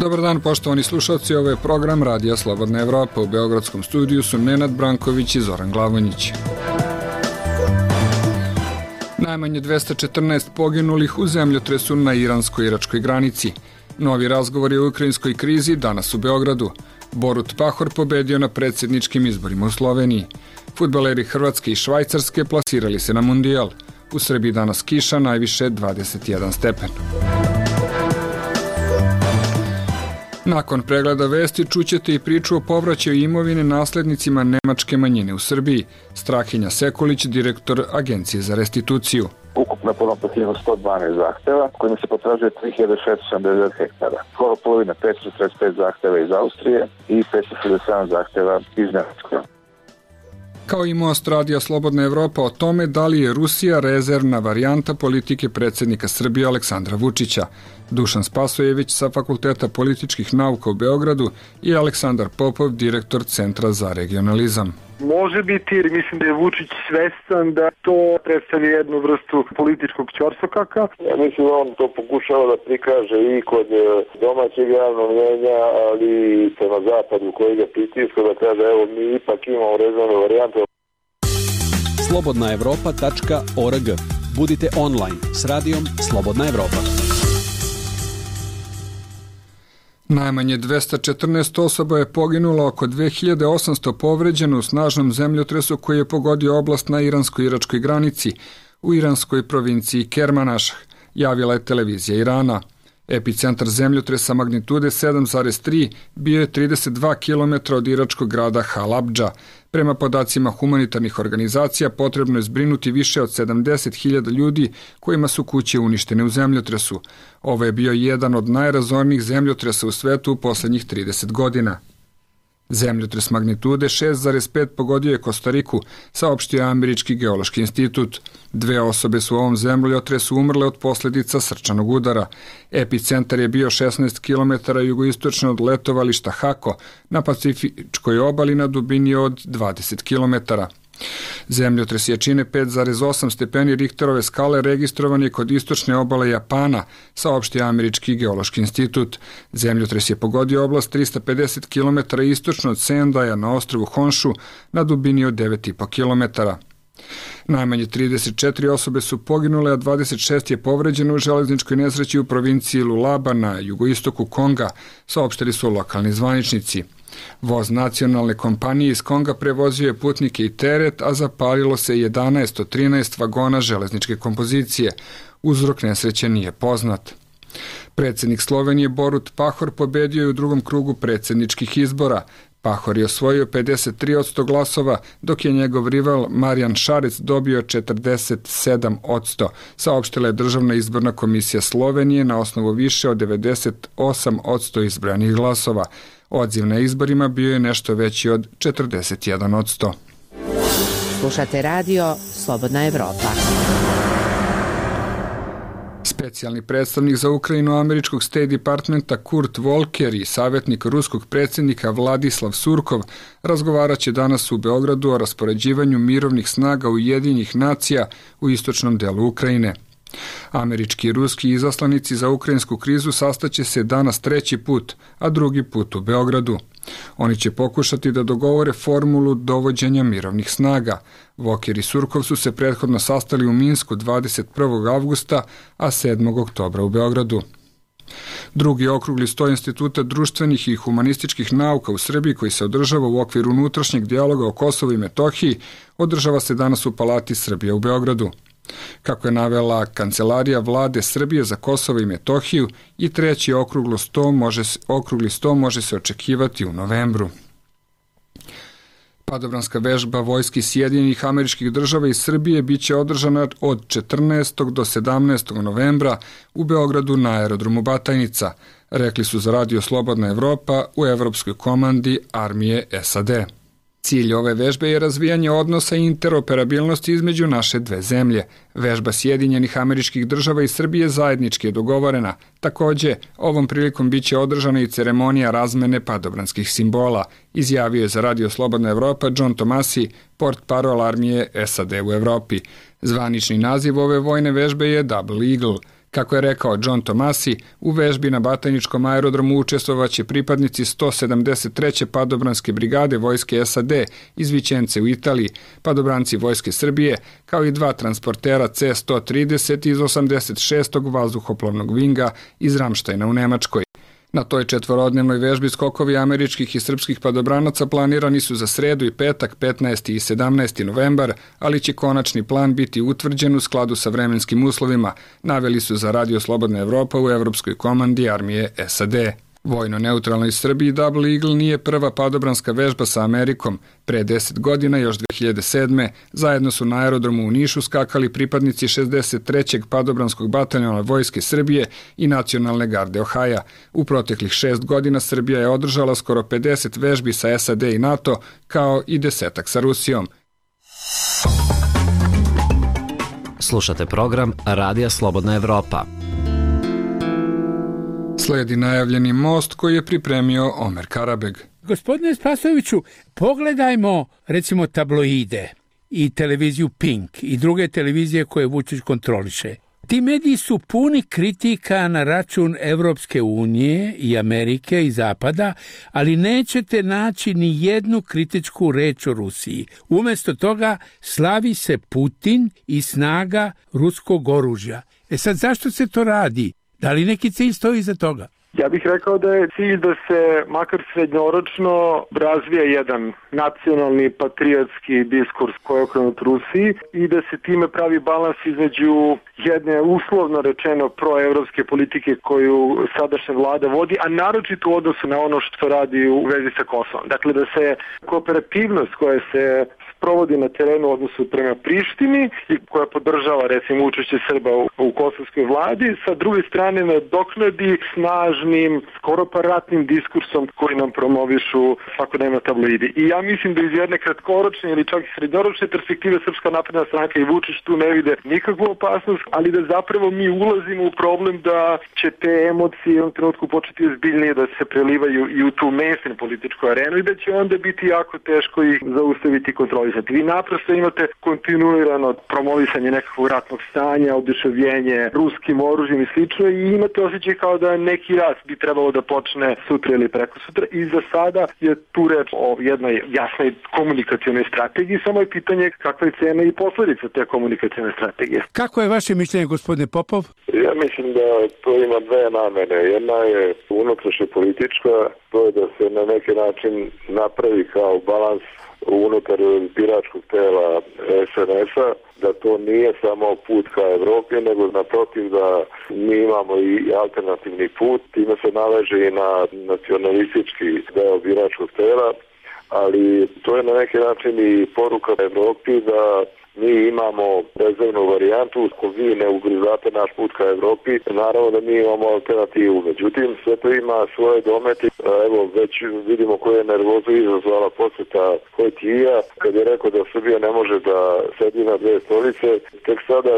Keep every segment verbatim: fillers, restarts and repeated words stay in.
Dobar dan, poštovani slušalci, ovo je program Radija Slobodna Evropa. U Beogradskom studiju su Nenad Branković i Zoran Glavonjić. Najmanje dvesta četrnaest poginulih u zemljotresu na iransko-iračkoj granici. Novi razgovori o ukrajinskoj krizi danas u Beogradu. Borut Pahor pobedio na predsjedničkim izborima u Sloveniji. Fudbaleri Hrvatske i Švajcarske plasirali se na Mundijal. U Srbiji danas kiša, najviše dvadeset jedan stepen. Nakon pregleda vesti čućete i priču o povraćaju imovine naslednicima nemačke manjine u Srbiji. Strahinja Sekulić, direktor Agencije za restituciju. Ukupno je podno sto dvanaest zahteva, kojima se potražuje tri hiljade šesto sedamdeset hektara. Skoro polovina petsto četrdeset pet zahteva iz Austrije i petsto šezdeset sedam zahteva iz Nemačke. Kao i Most Radija Slobodna Evropa o tome da li je Rusija rezervna varijanta politike predsjednika Srbije Aleksandra Vučića. Dušan Spasojević sa Fakulteta političkih nauka u Beogradu i Aleksandar Popov, direktor Centra za regionalizam. Može biti, jer mislim da je Vučić svestan da to predstavlja jednu vrstu političkog ćorsokaka. Ja mislim da on to pokušava da prikaže i kod domaćeg javnog mnjenja, ali i prema zapadu koji ga pritiska, da kaže evo mi ipak imamo rezervnu varijantu. slobodna evropa tačka org. Budite online s radijom Slobodna Evropa. Najmanje dvesta četrnaest osoba je poginulo, oko dve hiljade osamsto povređeno u snažnom zemljotresu koji je pogodio oblast na iransko-iračkoj granici u iranskoj provinciji Kermanašah, javila je televizija Irana. Epicentar zemljotresa magnitude sedam zarez tri bio je trideset dva kilometra od iračkog grada Halabdža. Prema podacima humanitarnih organizacija potrebno je zbrinuti više od sedamdeset hiljada ljudi kojima su kuće uništene u zemljotresu. Ovo je bio jedan od najrazornijih zemljotresa u svetu u poslednjih trideset godina. Zemljotres magnitude šest zarez pet pogodio je Kostariku, saopštio je Američki geološki institut. Dve osobe su u ovom zemljotresu umrle od posljedica srčanog udara. Epicentar je bio šesnaest kilometara jugoistočno od letovališta Hako na Pacifičkoj obali na dubini od dvadeset kilometara. Zemljotres jačine pet zarez osam stepeni Richterove skale registrovan je kod istočne obale Japana, saopštio Američki geološki institut. Zemljotres je pogodio oblast trista pedeset kilometara istočno od Sendaja na ostrvu Honshu na dubini od devet zarez pet kilometara. Najmanje trideset četiri osobe su poginule, a dvadeset šest je povređeno u železničkoj nesreći u provinciji Lualaba na jugoistoku Konga, saopštili su lokalni zvaničnici. Voz nacionalne kompanije iz Konga prevozio je putnike i teret, a zapalilo se jedanaest od trinaest vagona železničke kompozicije. Uzrok nesreće nije poznat. Predsjednik Slovenije Borut Pahor pobedio je u drugom krugu predsjedničkih izbora. Pahor je osvojio pedeset tri posto glasova, dok je njegov rival Marijan Šarec dobio četrdeset sedam posto, saopštila je Državna izborna komisija Slovenije na osnovu više od devedeset osam posto izbranih glasova. Odziv na izborima bio je nešto veći od četrdeset jedan posto. Slušate radio Slobodna Evropa. Specijalni predstavnik za Ukrajinu američkog State Departmenta Kurt Volker i savjetnik ruskog predsjednika Vladislav Surkov razgovarat će danas u Beogradu o raspoređivanju mirovnih snaga Ujedinjenih nacija u istočnom delu Ukrajine. Američki i ruski izaslanici za ukrajinsku krizu sastaće se danas treći put, a drugi put u Beogradu. Oni će pokušati da dogovore formulu dovođenja mirovnih snaga. Volker i Surkov su se prethodno sastali u Minsku dvadeset prvog avgusta, a sedmog oktobra u Beogradu. Drugi okrugli sto Instituta društvenih i humanističkih nauka u Srbiji, koji se održava u okviru unutrašnjeg dijaloga o Kosovu i Metohiji, održava se danas u Palati Srbije u Beogradu. Kako je navela Kancelarija vlade Srbije za Kosovo i Metohiju, i treći okrugli sto može, okrugli sto može se očekivati u novembru. Padobranska vežba vojski Sjedinjenih Američkih Država i Srbije biće održana od četrnaestog do sedamnaestog novembra u Beogradu na aerodromu Batajnica, rekli su za Radio Slobodna Evropa u Evropskoj komandi armije S A D. Cilj ove vežbe je razvijanje odnosa i interoperabilnosti između naše dve zemlje. Vežba Sjedinjenih Američkih Država i Srbije zajednički je dogovorena. Takođe, ovom prilikom biće održana i ceremonija razmene padobranskih simbola, izjavio je za Radio Slobodna Evropa John Tomasi, portparol armije S A D u Evropi. Zvanični naziv ove vojne vežbe je Double Eagle. Kako je rekao John Tomasi, u vežbi na Batajničkom aerodromu učestvovaće pripadnici sto sedamdeset treće padobranske brigade vojske S A D iz Vićence u Italiji, padobranci vojske Srbije, kao i dva transportera C sto trideset iz osamdeset šestog vazduhoplovnog vinga iz Ramštajna u Nemačkoj. Na toj četvorodnevnoj vežbi skokovi američkih i srpskih padobranaca planirani su za sredu i petak petnaesti i sedamnaesti novembar, ali će konačni plan biti utvrđen u skladu sa vremenskim uslovima, naveli su za Radio Slobodna Evropa u Evropskoj komandi armije S A D. Vojno neutralnoj Srbiji Double Eagle nije prva padobranska vežba sa Amerikom. Pre deset godina, još dve hiljade sedme. zajedno su na aerodromu u Nišu skakali pripadnici šezdeset trećeg padobranskog bataljona vojske Srbije i Nacionalne garde Ohaja. U proteklih šest godina Srbija je održala skoro pedeset vežbi sa S A D i NATO, kao i desetak sa Rusijom. Slušate program Radija Slobodna Evropa. Slijedi najavljeni most koji je pripremio Omer Karabeg. Gospodine Spasojeviću, pogledajmo recimo tabloide i televiziju Pink i druge televizije koje Vučić kontroliše. Ti mediji su puni kritika na račun Evropske unije i Amerike i Zapada, ali nećete naći ni jednu kritičku reč o Rusiji. Umjesto toga slavi se Putin i snaga ruskog oružja. E sad, zašto se to radi? Da li neki cilj stoji iza toga? Ja bih rekao da je cilj da se makar srednjoročno razvija jedan nacionalni patriotski diskurs koji je okrenut Rusiji i da se time pravi balans između jedne uslovno rečeno proevropske politike koju sadašnja vlada vodi, a naročito u odnosu na ono što radi u vezi sa Kosovom. Dakle, da se kooperativnost koja se provodi na terenu u odnosu prema Prištini i koja podržava recimo učešće Srba u, u kosovskoj vladi, sa druge strane nadoknadi snažnim, skoro pa ratnim diskursom koji nam promovišu svakodnevno tabloidi. I ja mislim da iz jedne kratkoročne ili čak i srednjoročne perspektive Srpska napredna stranka i Vučić tu ne vide nikakvu opasnost, ali da zapravo mi ulazimo u problem da će te emocije u jednom trenutku početi ozbiljnije da se prelivaju i u tu mainstream političku arenu i da će onda biti jako teško ih zaustaviti kontroli. Vi naprosto imate kontinuirano promovisanje nekakvog ratnog stanja, oduševljenje ruskim oružjem i slično i imate osjećaj kao da neki rat bi trebalo da počne sutra ili preko sutra i za sada je tu reč o jednoj jasnoj komunikacionoj strategiji, samo je pitanje kakva je cena i posledica te komunikacione strategije. Kako je vaše mišljenje, gospodine Popov? Ja mislim da to ima dve namene. Jedna je unutrašnja politička, to je da se na neki način napravi kao balans unutar biračkog tela S N S-a, da to nije samo put ka Evropi, nego naprotiv da mi imamo i alternativni put, time se naleže i na nacionalistički deo biračkog tela, ali to je na neki način i poruka Evropi da mi imamo rezervnu varijantu, ako vi ne ugrizate naš put ka Evropi, naravno da mi imamo alternativu. Međutim, sve to ima svoje domete. Evo, već vidimo koje je nervozu izazvala posjeta Hojtija, kad je rekao da Srbija ne može da sedi na dve stolice. Tek sada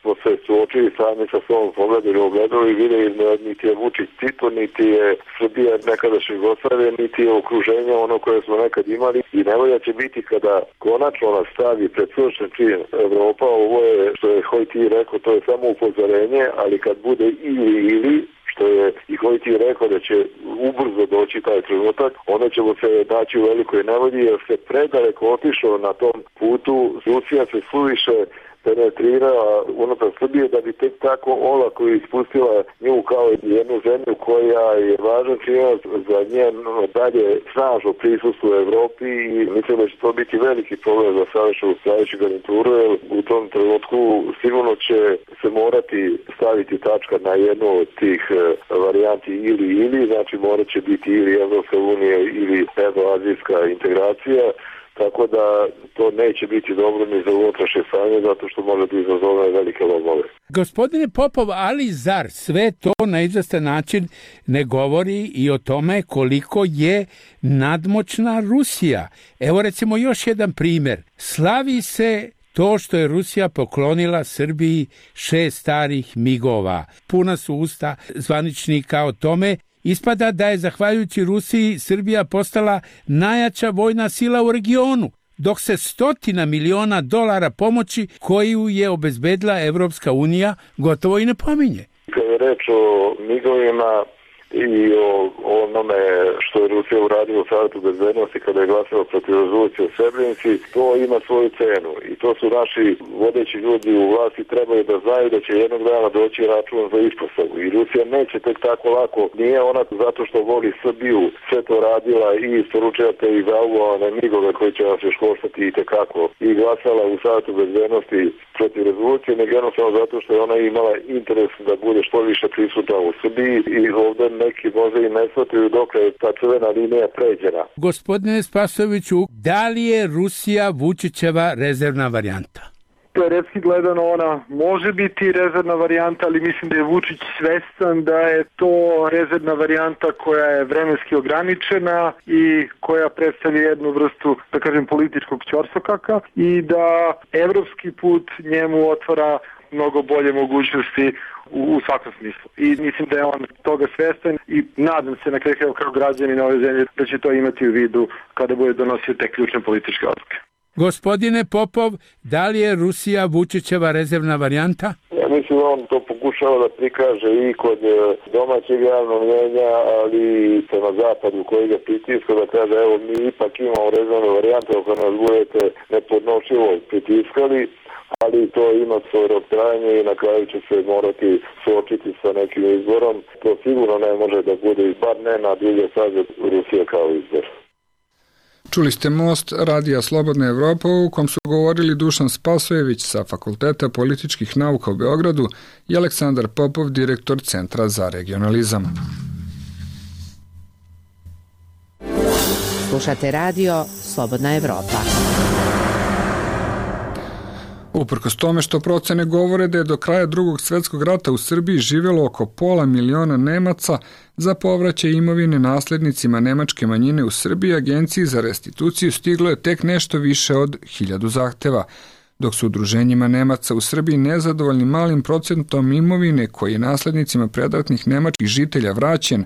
smo se suočili sami sa svom pogledom u ogledalu i vidjeli niti je Vučić Tito, niti je Srbija nekadašnje Jugoslavije, niti je okruženje ono koje smo nekad imali. I nevolja će biti kada konačno nas stavi pred suočen čin Evropa, ovo je, što je Hojti rekao, to je samo upozorenje, ali kad bude ili ili, što je i Hojti rekao da će ubrzo doći taj trenutak, onda ćemo se naći u velikoj nevolji, jer se predaleko otišao na tom putu, Rusija se suviše penetrirala unutar Srbije da bi tek tako olako ispustila nju kao jednu zemlju koja je važan činac za njeno dalje snažno prisustvo u Evropi i mislim da će to biti veliki problem za sadašnju sljedeću garnituru, jer u tom trenutku sigurno će se morati staviti tačka na jednu od tih varijanti ili ili, znači morat će biti ili Evropska unija ili evroazijska integracija. Tako da to neće biti dobro ni za unutrašnje stanje, zato što može da izazove velike lomove. Gospodine Popov, ali zar sve to na izvestan način ne govori i o tome koliko je nadmoćna Rusija? Evo recimo još jedan primjer. Slavi se to što je Rusija poklonila Srbiji šest starih migova. Puna su usta zvaničnika o tome. Ispada da je zahvaljujući Rusiji Srbija postala najjača vojna sila u regionu, dok se stotina miliona dolara pomoći koju je obezbedila Evropska unija gotovo i ne pominje. reč o migovima i o onome što je Rusija uradila u Savetu bezbednosti kada je glasala protiv rezolucije o Srebrenici, to ima svoju cenu i to su naši vodeći ljudi u vlasti trebaju da znaju da će jednog dana doći račun za ispostavu i Rusija neće tek tako lako, nije ona zato što voli Srbiju sve to radila i isporučujete i zauvovane migove koji će nas još koštati i tekako i glasala u Savetu bezbednosti protiv rezolucije, nego jednostavno zato što je ona imala interes da bude što više prisutna u Srbiji i ovdje neki možda i ne shvataju dok je ta crvena linija pređena. Gospodine Spasojeviću, da li je Rusija Vučićeva rezervna varijanta? Teoretski gledano ona može biti rezervna varijanta, ali mislim da je Vučić svestan da je to rezervna varijanta koja je vremenski ograničena i koja predstavlja jednu vrstu, da kažem, političkog ćorsokaka i da evropski put njemu otvara mnogo bolje mogućnosti u, u svakom smislu. I mislim da je on toga svestan i nadam se na kraju kao građani na ove zemlje da će to imati u vidu kada bude donosio te ključne političke odluke. Gospodine Popov, da li je Rusija Vučićeva rezervna varijanta? Ja mislim da on to pokušava da prikaže i kod domaćeg javnog mnjenja, ali i prema zapadu koji ga pritiska da kaže evo mi ipak imamo rezervnu varijantu ako nas budete nepodnošljivo pritiskali, ali to ima svoj rok trajanja i na kraju će se morati suočiti sa nekim izborom. To sigurno ne može da bude, bar ne na dulje staze Rusije kao izbor. Čuli ste Most Radija Slobodna Evropa u kom su govorili Dušan Spasojević sa Fakulteta političkih nauka u Beogradu i Aleksandar Popov, direktor Centra za regionalizam. Slušate radio Slobodna Evropa. Uprkos tome što procene govore da je do kraja drugog svjetskog rata u Srbiji živjelo oko pola miliona Nemaca, za povraćaj imovine naslednicima nemačke manjine u Srbiji Agenciji za restituciju stiglo je tek nešto više od hiljadu zahteva, dok su udruženjima Nemaca u Srbiji nezadovoljni malim procentom imovine koji je naslednicima predratnih nemačkih žitelja vraćen.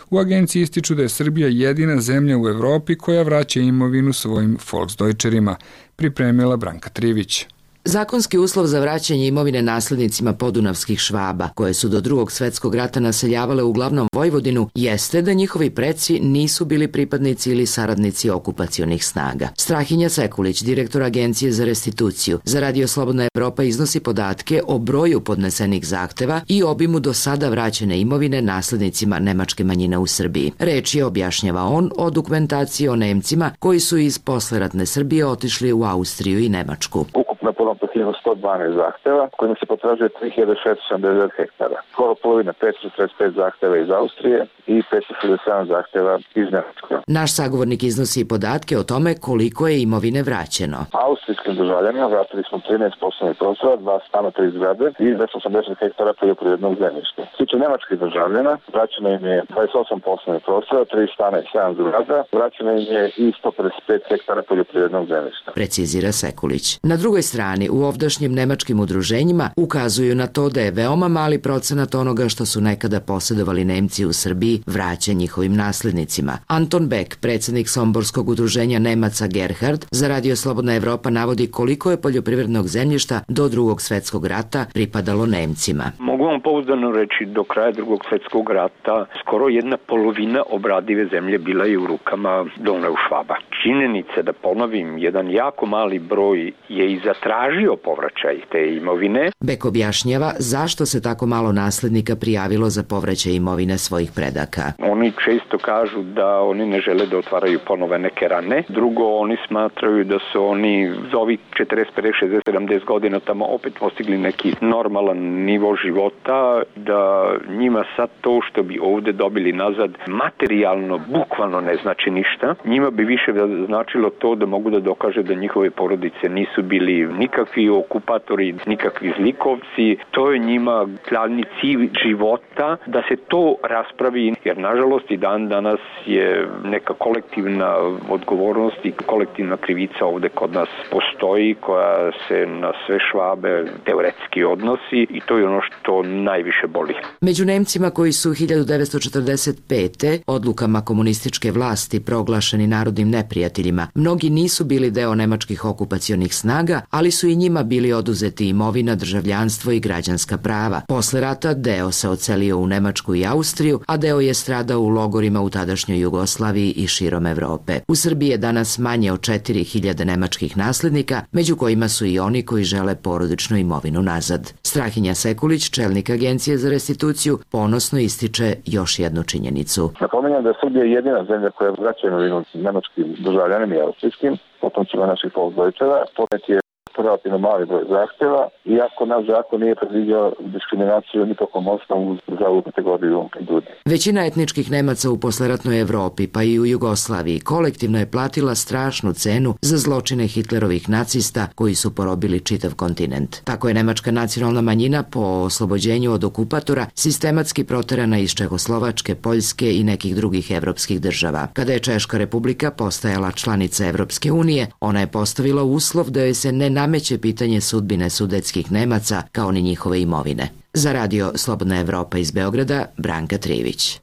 U agenciji ističu da je Srbija jedina zemlja u Evropi koja vraća imovinu svojim Volksdeutcherima, pripremila Branka Trivić. Zakonski uslov za vraćanje imovine naslednicima podunavskih Švaba, koje su do drugog svjetskog rata naseljavale uglavnom Vojvodinu, jeste da njihovi preci nisu bili pripadnici ili saradnici okupacionih snaga. Strahinja Sekulić, direktor Agencije za restituciju, za Radio Slobodna Evropa iznosi podatke o broju podnesenih zahteva i obimu do sada vraćene imovine naslednicima nemačke manjine u Srbiji. Reč je, objašnjava on, o dokumentaciji o Nemcima koji su iz posleratne Srbije otišli u Austriju i Nemačku. Na ponovno hiljadu sto dvanaest zahteva, kojima se potražuje tri hiljade šeststo sedamdeset hektara. Skoro polovina petsto četrdeset pet zahteva iz Austrije i petsto šezdeset sedam zahteva iz Nemačke. Naš sagovornik iznosi i podatke o tome koliko je imovine vraćeno. Austrijskim državljanima vratili smo trinaest poslovnih prostora, dva stana, tri zgrade i dvesta osamdeset hektara poljoprivrednog zemljišta. Sliče nemačkih državljana, vraćeno im je dvadeset osam poslovnih prostora, tri stana i sedam zgrada, vraćeno im je i sto pedeset pet hektara poljoprivrednog zemljišta. Precizira Sekulić. Na drugoj strani, u ovdašnjim nemačkim udruženjima ukazuju na to da je veoma mali procenat onoga što su nekada posjedovali Nemci u Srbiji vraća njihovim naslednicima. Anton Beck, predsjednik Somborskog udruženja Nemaca Gerhard, za Radio Slobodna Evropa navodi koliko je poljoprivrednog zemljišta do drugog svjetskog rata pripadalo Nemcima. Mogu vam pouzdano reći, do kraja drugog svjetskog rata skoro jedna polovina obradive zemlje bila je u rukama Donau Švaba. Činjenica, da ponovim, jedan jako mali broj je i zatražio povraćaj te imovine. Beck objašnjava zašto se tako malo naslednika prijavilo za povraćaj imovine svojih predaka. Oni često kažu da oni ne žele da otvaraju ponove neke rane. Drugo, oni smatraju da su oni za ovih četrdeset, pedeset, šezdeset, sedamdeset godina tamo opet postigli neki normalan nivo života, da njima sad to što bi ovde dobili nazad materijalno, bukvalno ne znači ništa. Njima bi više značilo to da mogu da dokaže da njihove porodice nisu bili nikakvi okupatori, nikakvi zlikovci. To je njima glavni cilj života, da se to raspravi, jer nažalost i dan danas je neka kolektivna odgovornost i kolektivna krivica ovde kod nas postoji, koja se na sve Švabe teoretski odnosi i to je ono što najviše boli. Među Nemcima koji su hiljadu devetsto četrdeset pete. odlukama komunističke vlasti proglašeni narodnim neprijateljima, mnogi nisu bili deo nemačkih okupacionih snaga, ali su i njima bili oduzeti imovina, državljanstvo i građanska prava. Posle rata deo se ocelio u Nemačku i Austriju, a deo je stradao u logorima u tadašnjoj Jugoslaviji i širom Evrope. U Srbiji je danas manje od četiri hiljade nemačkih naslednika, među kojima su i oni koji žele porodičnu imovinu nazad. Strahinja Sekulić, čelnik Agencije za restituciju, ponosno ističe još jednu činjenicu. Napominjem da je Srbija jedina zemlja koja vraća imovinu nemačkim državljanima i austrijskim, potomcima naših Volksdeutschera. Podnet je relativno mali broj zahtjeva, iako naš zakon nije predviđao diskriminaciju ni tokom osnovu za ovu kategoriju ljudi. Većina etničkih Nemaca u posleratnoj Evropi, pa i u Jugoslaviji, kolektivno je platila strašnu cenu za zločine Hitlerovih nacista koji su porobili čitav kontinent. Tako je nemačka nacionalna manjina po oslobođenju od okupatora sistematski proterana iz Čehoslovačke, Poljske i nekih drugih evropskih država. Kada je Češka republika postajala članica Evropske unije, ona je postavila uslov da joj se ne nameće pitanje sudbine sudetskih Nemaca kao ni njihove imovine. Za radio Slobodna Evropa iz Beograda, Branka Trivić.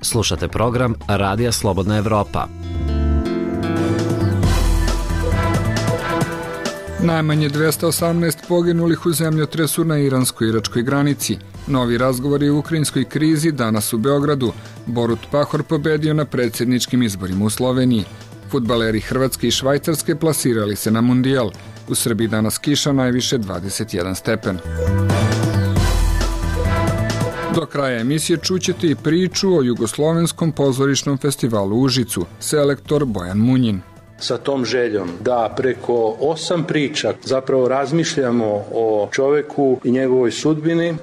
Slušate program Radija Slobodna Evropa. Najmanje dvesta osamnaest poginulih u zemljotresu na iransko-iračkoj granici. Novi razgovori u ukrajinskoj krizi danas u Beogradu. Borut Pahor pobedio na predsjedničkim izborima u Sloveniji. Fudbaleri Hrvatske i Švajcarske plasirali se na mundijal. U Srbiji danas kiša, najviše dvadeset jedan stepen. Do kraja emisije čućete i priču o Jugoslovenskom pozorišnom festivalu u Užicu. Selektor Bojan Munjin. Sa tom željom da preko osam priča zapravo razmišljamo o čoveku i njegovoj sudbini.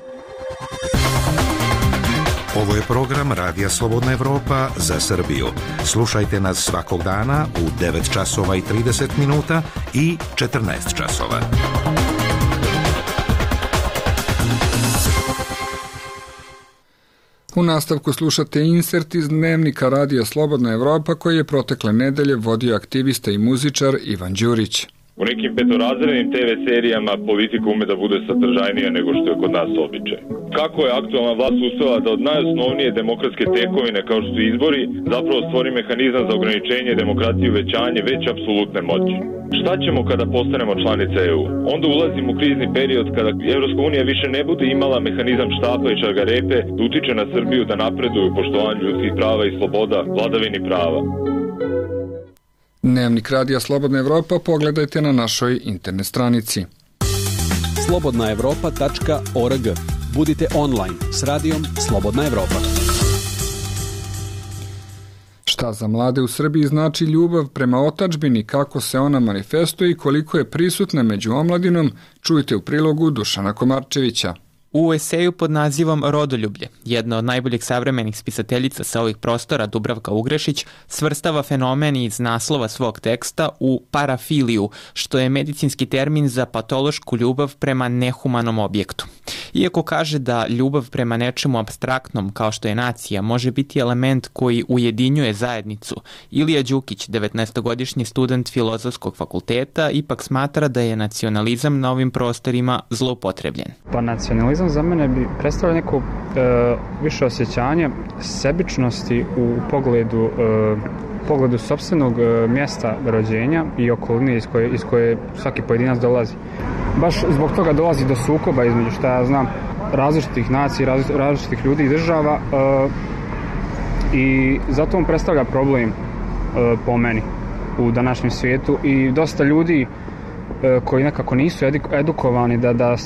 Ovo je program Radija Slobodna Evropa za Srbiju. Slušajte nas svakog dana u devet časova i trideset minuta i četrnaest časova. U nastavku slušate insert iz dnevnika Radija Slobodna Evropa koji je protekle nedelje vodio aktivista i muzičar Ivan Đurić. U nekim petorazrednim te ve serijama politika ume da bude sadržajnija nego što je kod nas običaj. Kako je aktualna vlast uspela da od najosnovnije demokratske tekovine kao što su izbori zapravo stvori mehanizam za ograničenje demokratije i uvećanje već apsolutne moći? Šta ćemo kada postanemo članica E U? Onda ulazimo u krizni period kada Evropska unija više ne bude imala mehanizam štapa i čargarepe da utiče na Srbiju da napreduje u poštovanju ljudskih prava i sloboda, vladavini prava. Dnevnik Radija Slobodna Evropa pogledajte na našoj internet stranici. slobodna evropa tačka org. Budite online s radijom Slobodna Evropa. Šta za mlade u Srbiji znači ljubav prema otadžbini, kako se ona manifestuje i koliko je prisutna među omladinom, čujte u prilogu Dušana Komarčevića. U eseju pod nazivom Rodoljublje, jedna od najboljih savremenih spisateljica sa ovih prostora, Dubravka Ugrešić, svrstava fenomen iz naslova svog teksta u parafiliju, što je medicinski termin za patološku ljubav prema nehumanom objektu. Iako kaže da ljubav prema nečemu apstraktnom, kao što je nacija, može biti element koji ujedinjuje zajednicu, Ilija Đukić, devetnaestogodišnji student Filozofskog fakulteta, ipak smatra da je nacionalizam na ovim prostorima zloupotrebljen. Pa nacionalizam za mene bi predstavljao neko e, više osjećanje sebičnosti u pogledu, e, pogledu sopstvenog e, mjesta rođenja i okoline iz koje, iz koje svaki pojedinac dolazi. Baš zbog toga dolazi do sukoba između, šta ja znam, različitih nacija, različitih ljudi i država e, i zato on predstavlja problem e, po meni u današnjem svijetu i dosta ljudi koji nekako nisu edukovani da, da,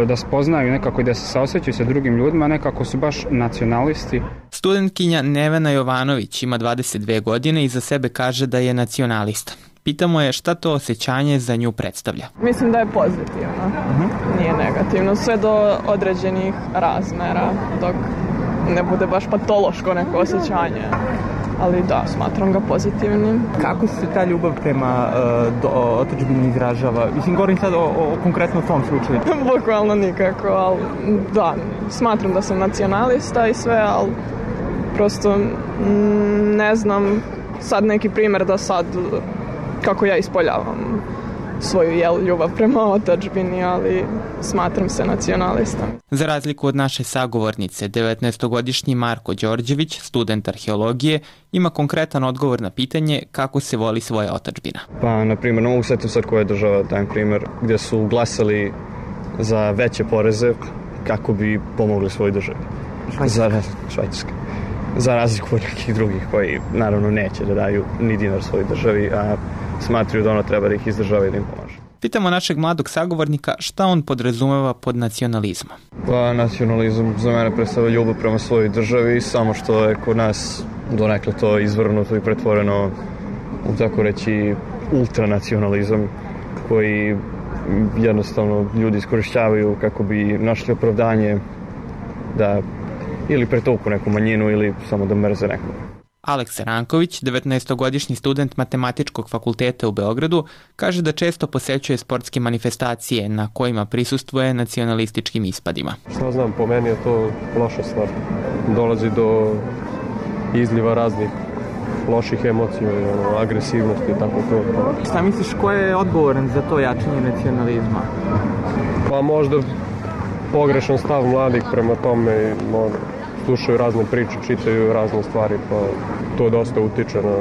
da spoznaju nekako i da se saosjećaju sa drugim ljudima, nekako su baš nacionalisti. Studentkinja Nevena Jovanović ima dvadeset dve godine i za sebe kaže da je nacionalista. Pitamo je šta to osjećanje za nju predstavlja. Mislim da je pozitivno, uh-huh. Nije negativno, sve do određenih razmera, dok ne bude baš patološko neko osjećanje. Ali da, smatram ga pozitivnim. Kako se ta ljubav prema uh, otadžbini izražava? Mislim, govorim sad o, o konkretno tom slučaju. Bukvalno nikako, ali da, smatram da sam nacionalista i sve, ali prosto m, ne znam sad neki primjer da sad kako ja ispoljavam svoju jel, ljubav prema otadžbini, ali smatram se nacionalistom. Za razliku od naše sagovornice, devetnaestogodišnji Marko Đorđević, student arheologije, ima konkretan odgovor na pitanje kako se voli svoja otadžbina. Pa, na primjer, ne mogu setiti sad koja je država, dajem primjer, gdje su glasali za veće poreze kako bi pomogli svojoj državi. Za Švajcarska. Za razliku od nekih drugih koji naravno neće da daju ni dinar svojoj državi, a smatraju da ono treba da ih izdržava i da im pomaže. Pitamo našeg mladog sagovornika šta on podrazumeva pod nacionalizmom. Pa nacionalizam za mene predstavlja ljubav prema svojoj državi, samo što je kod nas donekle to izvrnuto i pretvoreno u tako reći ultranacionalizam koji jednostavno ljudi iskorišćavaju kako bi našli opravdanje da ili pretoku neku manjinu ili samo da mrze nekog. Aleksa Ranković, devetnaestogodišnji student Matematičkog fakulteta u Beogradu, kaže da često posećuje sportske manifestacije na kojima prisustvuje nacionalističkim ispadima. Šta znam, po meni je to loša stvar. Dolazi do izliva raznih loših emocija, ono, agresivnosti i tako to. Šta misliš, ko je odgovoran za to jačanje nacionalizma? Pa možda pogrešan stav mladih prema tome, možda slušaju razne priče, čitaju razne stvari, pa to dosta utiče na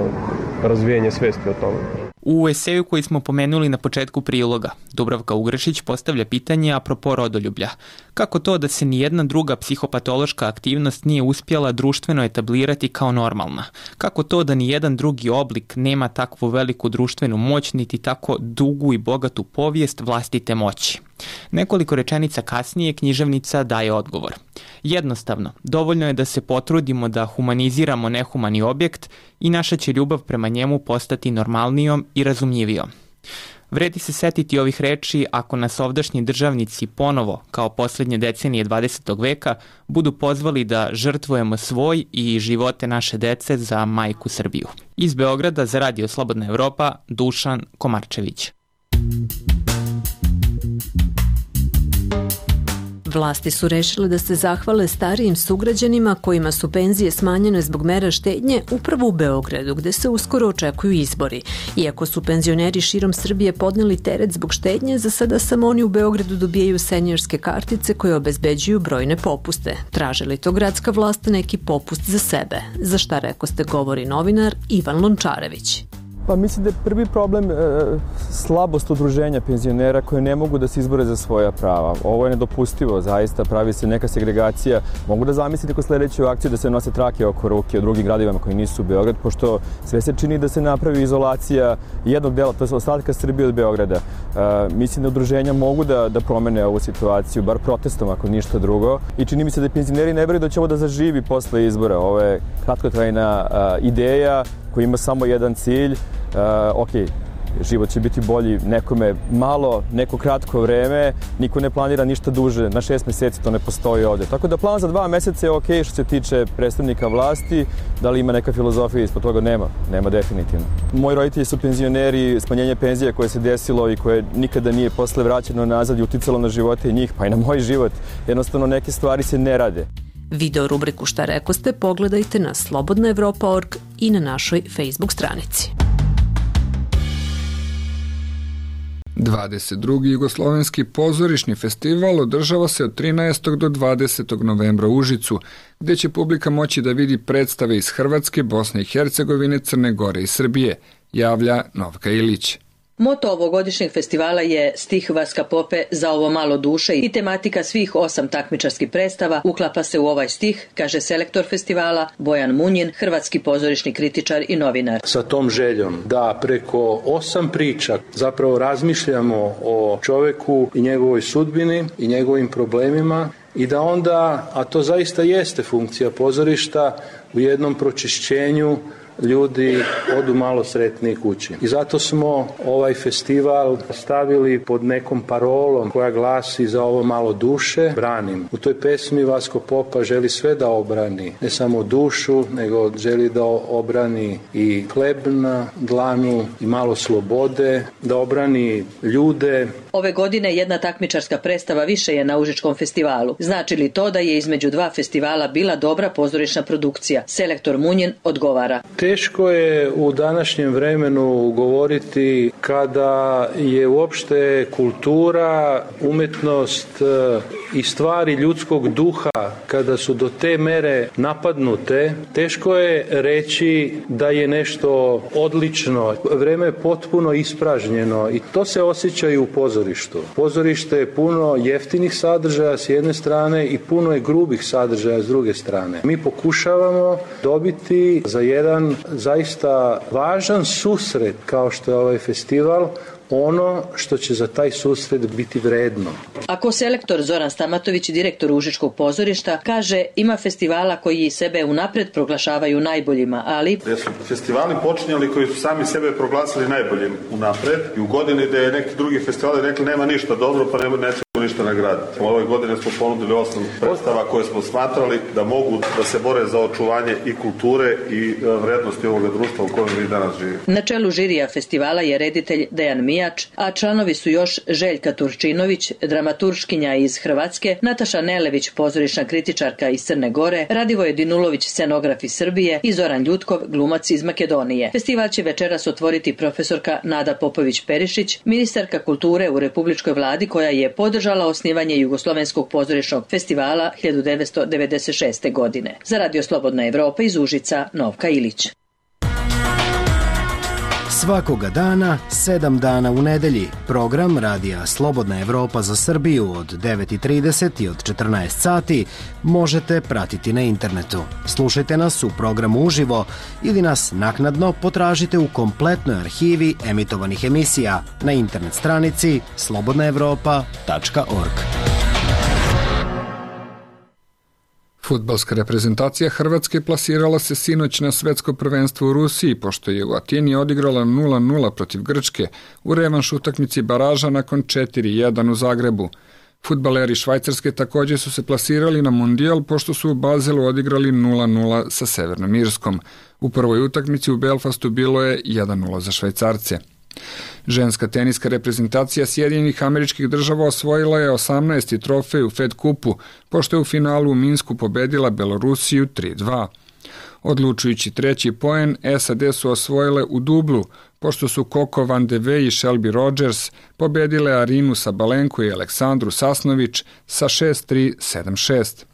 razvijanje svesti o tome. U eseju koji smo pomenuli na početku priloga, Dubravka Ugrešić postavlja pitanje apropo rodoljublja. Kako to da se nijedna druga psihopatološka aktivnost nije uspjela društveno etablirati kao normalna? Kako to da nijedan drugi oblik nema takvu veliku društvenu moć, niti tako dugu i bogatu povijest vlastite moći? Nekoliko rečenica kasnije književnica daje odgovor. Jednostavno, dovoljno je da se potrudimo da humaniziramo nehumani objekt i naša će ljubav prema njemu postati normalnijom i razumljivijom. Vredi se setiti ovih reči ako nas ovdašnji državnici ponovo, kao posljednje decenije dvadesetog veka, budu pozvali da žrtvujemo svoj i živote naše dece za majku Srbiju. Iz Beograda za Radio Slobodna Evropa, Dušan Komarčević. Vlasti su rešile da se zahvale starijim sugrađanima kojima su penzije smanjene zbog mera štednje upravo u Beogradu, gde se uskoro očekuju izbori. Iako su penzioneri širom Srbije podneli teret zbog štednje, za sada samo oni u Beogradu dobijaju seniorske kartice koje obezbeđuju brojne popuste. Traže li to gradska vlast neki popust za sebe? Za šta rekoste govori novinar Ivan Lončarević. Pa mislim da je prvi problem e, slabost udruženja penzionera koje ne mogu da se izbore za svoja prava. Ovo je nedopustivo, zaista pravi se neka segregacija. Mogu da zamislite kod sledeću akciju da se nose trake oko ruke u drugim gradovima koji nisu u Beograd, pošto sve se čini da se napravi izolacija jednog dela, to je ostatka Srbije od Beograda. E, mislim da udruženja mogu da, da promene ovu situaciju, bar protestom ako ništa drugo. I čini mi se da penzioneri ne veruju da će ovo da zaživi posle izbora. Ovo je kratkotrajna a, ideja koji ima samo jedan cilj. Uh, ok, život će biti bolji nekome malo, neko kratko vreme, niko ne planira ništa duže, na šest meseci to ne postoji ovde. Tako da plan za dva meseca je ok što se tiče predstavnika vlasti, da li ima neka filozofija ispod toga? Nema, nema definitivno. Moji roditelji su penzioneri, smanjenje penzija koje se desilo i koje nikada nije posle vraćeno nazad i uticalo na živote njih, pa i na moj život. Jednostavno neke stvari se ne rade. Video rubriku Šta rekoste pogledajte na slobodna evropa tačka org i na našoj Facebook stranici. dvadeset drugi Jugoslovenski pozorišni festival održava se od trinaestog do dvadesetog novembra u Užicu, gde će publika moći da vidi predstave iz Hrvatske, Bosne i Hercegovine, Crne Gore i Srbije, javlja Novka Ilić. Moto ovogodišnjeg festivala je Stih Vaska Pope za ovo malo duše i tematika svih osam takmičarskih predstava uklapa se u ovaj stih, kaže selektor festivala Bojan Munjin, hrvatski pozorišni kritičar i novinar. Sa tom željom da preko osam priča zapravo razmišljamo o čoveku i njegovoj sudbini i njegovim problemima i da onda, a to zaista jeste funkcija pozorišta, u jednom pročišćenju ljudi odu malo sretniji kući. I zato smo ovaj festival stavili pod nekom parolom koja glasi za ovo malo duše, branim. U toj pesmi Vasko Popa želi sve da obrani, ne samo dušu, nego želi da obrani i hleb na dlanu i malo slobode, da obrani ljude. Ove godine jedna takmičarska predstava više je na Užičkom festivalu. Znači li to da je između dva festivala bila dobra pozorišna produkcija? Selektor Munjin odgovara. Te teško je u današnjem vremenu govoriti kada je uopšte kultura, umetnost i stvari ljudskog duha, kada su do te mere napadnute, teško je reći da je nešto odlično. Vreme je potpuno ispražnjeno i to se osjeća i u pozorištu. Pozorište je puno jeftinih sadržaja s jedne strane i puno je grubih sadržaja s druge strane. Mi pokušavamo dobiti za jedan zaista važan susret kao što je ovaj festival ono što će za taj susret biti vredno. Ako selektor Zoran Stamatović, direktor Užičkog pozorišta, kaže ima festivala koji sebe unapred proglašavaju najboljima, ali... Gde su festivali počinjali koji su sami sebe proglasili najboljim unapred i u godini gde je neki drugi festivali rekli nema ništa dobro pa nema, nećemo ništa nagraditi. Ove godine smo ponudili osam predstava koje smo smatrali da mogu da se bore za očuvanje i kulture i vrednosti ovoga društva u kojem mi danas živimo. Na čelu žirija festivala je reditelj Dejan Mijač, a članovi su još Željka Turčinović, dramaturškinja iz Hrvatske, Nataša Nelević, pozorišna kritičarka iz Crne Gore, Radivoje Dinulović, scenograf iz Srbije i Zoran Ljutkov, glumac iz Makedonije. Festival će večeras otvoriti profesorka Nada Popović-Perišić, ministarka kulture u Republičkoj vladi koja je podržala osnivanje Jugoslovenskog pozorišnog festivala hiljadu devetsto devedeset šeste. godine. Za Radio Slobodna Evropa iz Užica, Novka Ilić. Svakoga dana, sedam dana u nedelji, program Radija Slobodna Evropa za Srbiju od devet i trideset i od četrnaest sati možete pratiti na internetu. Slušajte nas u programu uživo ili nas naknadno potražite u kompletnoj arhivi emitovanih emisija na internet stranici slobodna evropa tačka org. Fudbalska reprezentacija Hrvatske plasirala se sinoć na svetsko prvenstvo u Rusiji, pošto je u Atini odigrala nula nula protiv Grčke u revanš utakmici baraža nakon četiri jedan u Zagrebu. Fudbaleri Švajcarske također su se plasirali na Mundijal, pošto su u Bazelu odigrali nula nula sa Severnom Irskom. U prvoj utakmici u Belfastu bilo je jedan nula za Švajcarce. Ženska teniska reprezentacija Sjedinjenih Američkih Država osvojila je osamnaesti trofej u Fed kupu, pošto je u finalu u Minsku pobedila Belorusiju tri dva. Odlučujući treći poen, S A D su osvojile u dublu, pošto su Coco Van de Wey i Shelby Rogers pobedile Arinu Sabalenko i Aleksandru Sasnović sa šest tri sedam šest.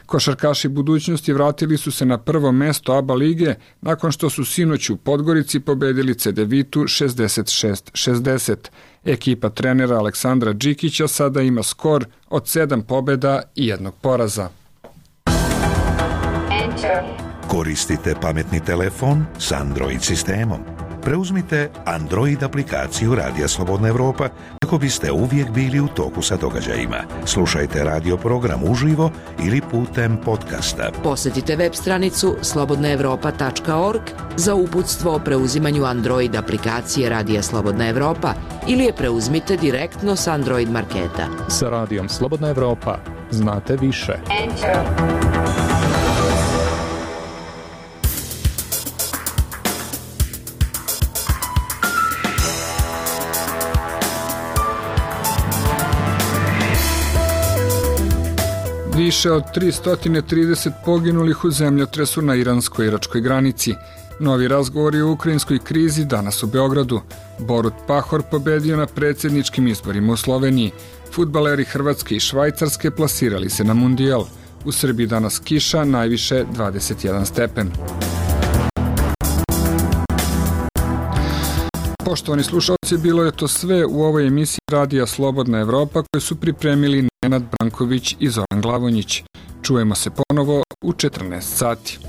Košarkaši budućnosti vratili su se na prvo mesto A B A lige nakon što su sinoć u Podgorici pobedili Cedevitu šezdeset šest šezdeset. Ekipa trenera Aleksandra Džikića sada ima skor od sedam pobjeda i jednog poraza. Koristite pametni telefon s Android sistemom. Preuzmite Android aplikaciju Radija Slobodna Evropa kako biste uvijek bili u toku sa događajima. Slušajte radio program uživo ili putem podcasta. Posjetite web stranicu slobodna evropa tačka org za uputstvo o preuzimanju Android aplikacije Radija Slobodna Evropa ili je preuzmite direktno s Android marketa. Sa Radijom Slobodna Evropa znate više. Enter. Više od tristo trideset poginulih u zemljotresu na iransko-iračkoj granici. Novi razgovori o ukrajinskoj krizi danas u Beogradu. Borut Pahor pobedio na predsjedničkim izborima u Sloveniji. Fudbaleri Hrvatske i Švajcarske plasirali se na Mundijal. U Srbiji danas kiša, najviše dvadeset jedan stepen. Poštovani slušalci, bilo je to sve u ovoj emisiji Radija Slobodna Evropa koju su pripremili Nenad Branković i Zoran Glavonjić. Čujemo se ponovo u četrnaest sati.